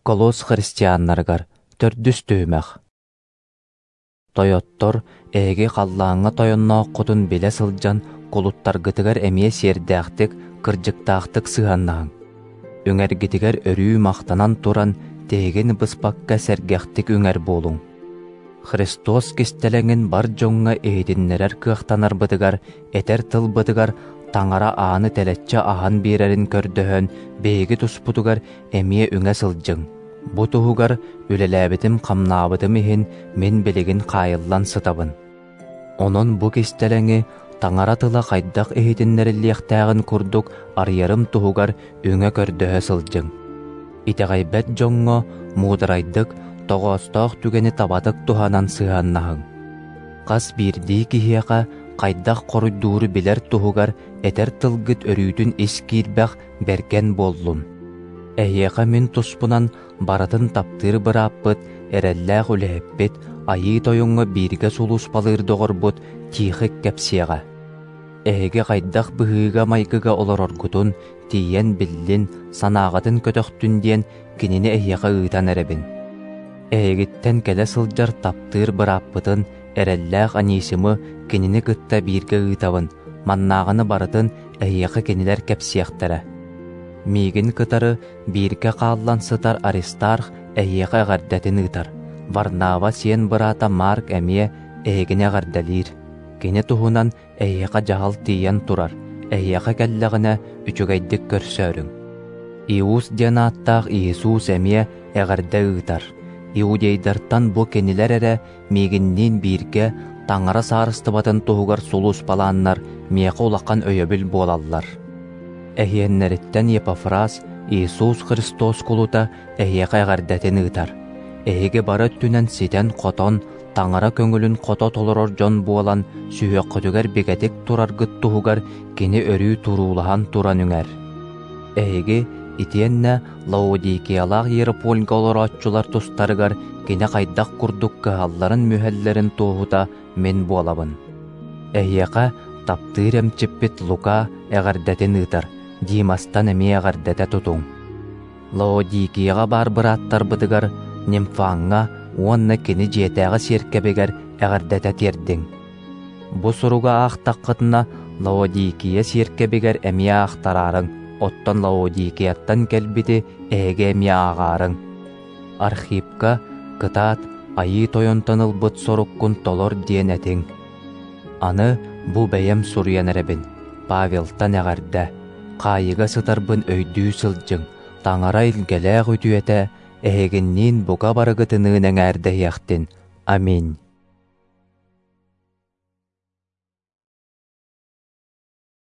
Колос христианнарыгар төрдүс түһүмэх. Тойоттор, эһиги халлааҥҥа тойоннооххутун билэ сылдьан, кулуттаргытыгар эмиэ сиэрдээхтик, кырдьыктаахтык сыһыаннаһыҥ. Үҥэргитигэр өрүү махтанан туран, тиһигин быспакка сэргэхтик үҥэр буолуҥ. Христос кистэлэҥин бар дьоҥҥо иһитиннэрэр кыахтанарбытыгар, этэр тылбытыгар Таҥара ааны тэлэччи аһан биэрэрин көрдөһөн, биһиги туспутугар эмиэ үҥэ сылдьыҥ. Бу туһугар үлэлээбитим-хамнаабытым иһин мин билигин хаайыллан сытабын. Онон бу кистэлэҥи Таҥара тыла хайдах иһитиннэриллиэхтээҕин курдук арыйарым туһугар үҥэ көрдөһө сылдьыҥ. Итэҕэйбэт дьоҥҥо муударайдык, тоҕоостоох түгэни табатык туһанан сыһыаннаһыҥ. Хас биирдии киһиэхэ хайдах хоруйдууру билэр туһугар этэр тылгыт өрүүтүн ис киирбэх бэргэн буоллун. Эһиэхэ мин туспунан барытын таптыыр бырааппыт, эрэллээх үлэһиппит, Айыы Тойоҥҥо бииргэ сулууспалыыр доҕорбут Тихик кэпсиэҕэ. Эһиги хайдах быһыыга-майгыга олороргутун тиийэн биллин, санааҕытын көтөхтүн диэн кинини эһиэхэ ыытан эрэбин. Эһигиттэн кэлэ сылдьар таптыыр бырааппытын, эрэллээх Анисимы кинини кытта бииргэ ыытабын, маннааҕыны барытын эһиэхэ кинилэр кэпсиэхтэрэ. Миигин кытары бииргэ хааллан сытар Аристарх эһиэхэ эҕэрдэтин ыытар. Варнава сиэн быраата Марк эмиэ эһигини эҕэрдэлиир. Кини туһунан эһиэхэ дьаһал тиийэн турар, эһиэхэ кэллэҕинэ үчүгэйдик көрсөөрүҥ. Иус диэн ааттаах Иисус эмиэ эҕэрдэ ыытар. Иудейдартан бу кинилэр эрэ миигинниин бииргэ Таҥара саарыстыбатын туһугар сулууспалааннар миэхэ улахан өйөбүл буолаллар. Эһиэннэриттэн Епафрас, Иисус Христос кулута эһиэхэ эҕэрдэтин ыытар. Эһиги бары өттүнэн ситэн-хотон, Таҥара көҥүлүн хото толорор дьон буолан, сүһүөххүтүгэр бигэтик тураргыт туһугар кини өрүү туруулаһан туран үҥэр. Эһиги итиэннэ Лаодикиялаах Иеропольга олорооччулар тустарыгар кини хайдах курдук кыһалларын-мүһэллэрин туоһута мин буолабын. Эһиэхэ таптыыр эмчиппит Лука эҕэрдэтин ыытар, Димастан эмиэ эҕэрдэтэ тутуҥ. Лаодикияҕа баар бырааттарбытыгар Нимфаҥҥа уонна кини дьиэтээҕи сиэркэбигэр эҕэрдэтэ тиэрдиҥ. Бу суругу аахтаххытына Лаодикия сиэркэбигэр эмиэ аахтараарыҥ, оттон Лаодикияттан кэлбити эһиги эмиэ ааҕаарыҥ. Архипка кытаат, Айыы Тойонтон ылбыт соруккун толор диэн этиҥ. Аны бу бэйэм суруйан эрэбин, Павелтан эҕэрдэ, хаайыыга сытарбын өйдүү сылдьыҥ, Таҥара илгэлээх үтүөтэ эһигинниин бука барыгытыныын эҥээрдэһиэхтин. Аминь.